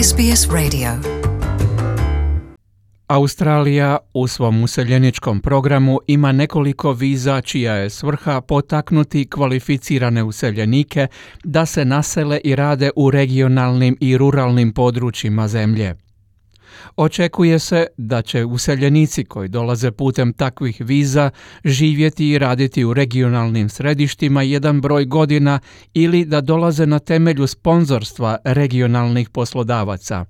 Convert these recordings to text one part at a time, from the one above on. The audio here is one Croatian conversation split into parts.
SBS Radio. Australija u svom useljeničkom programu ima nekoliko viza čija je svrha potaknuti kvalificirane useljenike da se nasele i rade u regionalnim i ruralnim područjima zemlje. Očekuje se da će useljenici koji dolaze putem takvih viza živjeti i raditi u regionalnim središtima jedan broj godina ili da dolaze na temelju sponzorstva regionalnih poslodavaca.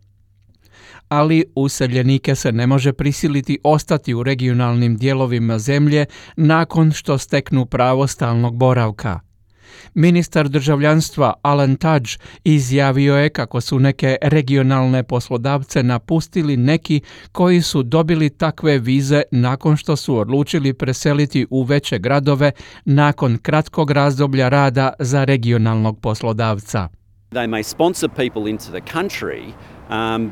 Ali useljenike se ne može prisiliti ostati u regionalnim dijelovima zemlje nakon što steknu pravo stalnog boravka. Ministar državljanstva Alan Tudge izjavio je kako su neke regionalne poslodavce napustili neki koji su dobili takve vize nakon što su odlučili preseliti u veće gradove nakon kratkog razdoblja rada za regionalnog poslodavca. They may sponsor people into the country,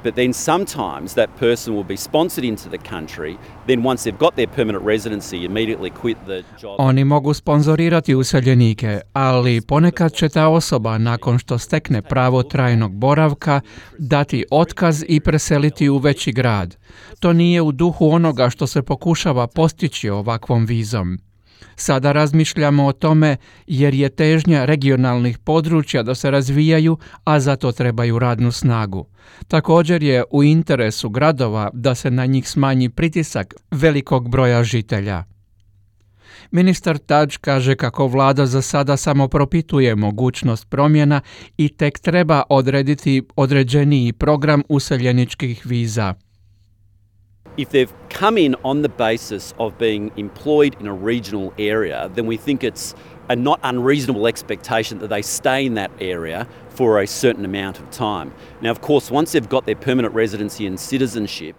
but then sometimes that person will be sponsored into the country, then once they've got their permanent residency, immediately quit the job. Oni mogu sponzorirati useljenike, ali ponekad će ta osoba nakon što stekne pravo trajnog boravka dati otkaz i preseliti u veći grad. To nije u duhu onoga što se pokušava postići ovakvom vizom. Sada razmišljamo o tome jer je težnja regionalnih područja da se razvijaju, a za to trebaju radnu snagu. Također je u interesu gradova da se na njih smanji pritisak velikog broja žitelja. Ministar Tudge kaže kako vlada za sada samo propituje mogućnost promjena i tek treba odrediti određeniji program useljeničkih viza. If they've come in on the basis of being employed in a regional area, then we think it's a not unreasonable expectation that they stay in that area for a certain amount of time. Now, of course, once they've got their permanent residency and citizenship,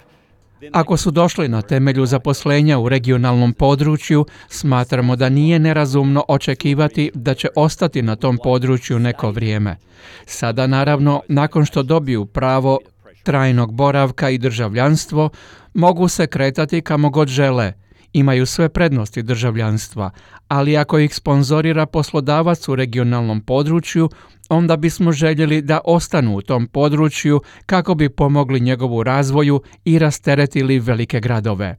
ako su došli na temelju zaposlenja u regionalnom području, smatramo da nije nerazumno očekivati da će ostati na tom području neko vrijeme. Sada, naravno, nakon što dobiju pravo trajnog boravka i državljanstvo, mogu se kretati kamo god žele. Imaju sve prednosti državljanstva, ali ako ih sponzorira poslodavac u regionalnom području, onda bismo željeli da ostanu u tom području kako bi pomogli njegovu razvoju i rasteretili velike gradove.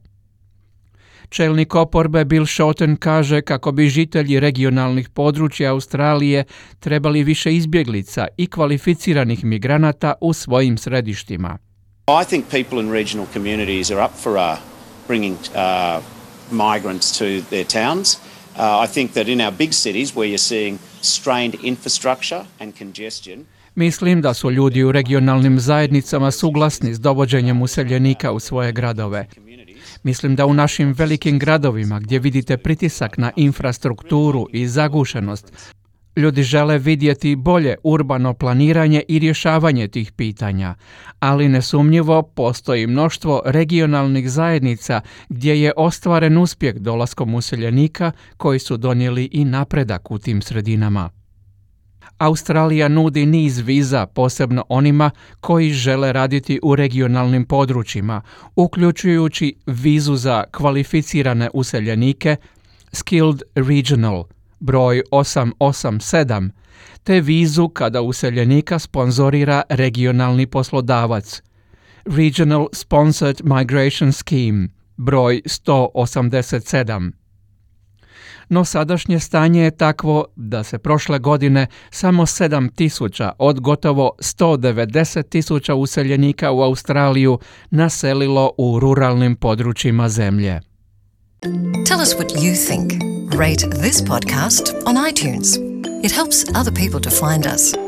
Čelnik oporbe Bill Shorten kaže kako bi žitelji regionalnih područja Australije trebali više izbjeglica i kvalificiranih migranata u svojim središtima. I think people in regional communities are up for bringing migrants to their towns. I think that in our big cities where you're seeing strained infrastructure and congestion. Mislim da su ljudi u regionalnim zajednicama suglasni s dovođenjem useljenika u svoje gradove. Mislim da u našim velikim gradovima gdje vidite pritisak na infrastrukturu i zagušenost, ljudi žele vidjeti bolje urbano planiranje i rješavanje tih pitanja, ali nesumnjivo postoji mnoštvo regionalnih zajednica gdje je ostvaren uspjeh dolaskom useljenika koji su donijeli i napredak u tim sredinama. Australija nudi niz viza posebno onima koji žele raditi u regionalnim područjima, uključujući vizu za kvalificirane useljenike Skilled Regional broj 887, te vizu kada useljenika sponzorira regionalni poslodavac Regional Sponsored Migration Scheme broj 187. No sadašnje stanje je takvo da se prošle godine samo 7.000 od gotovo 190.000 useljenika u Australiju naselilo u ruralnim područjima zemlje. Tell us what you think. Rate this podcast on iTunes. It helps other people to find us.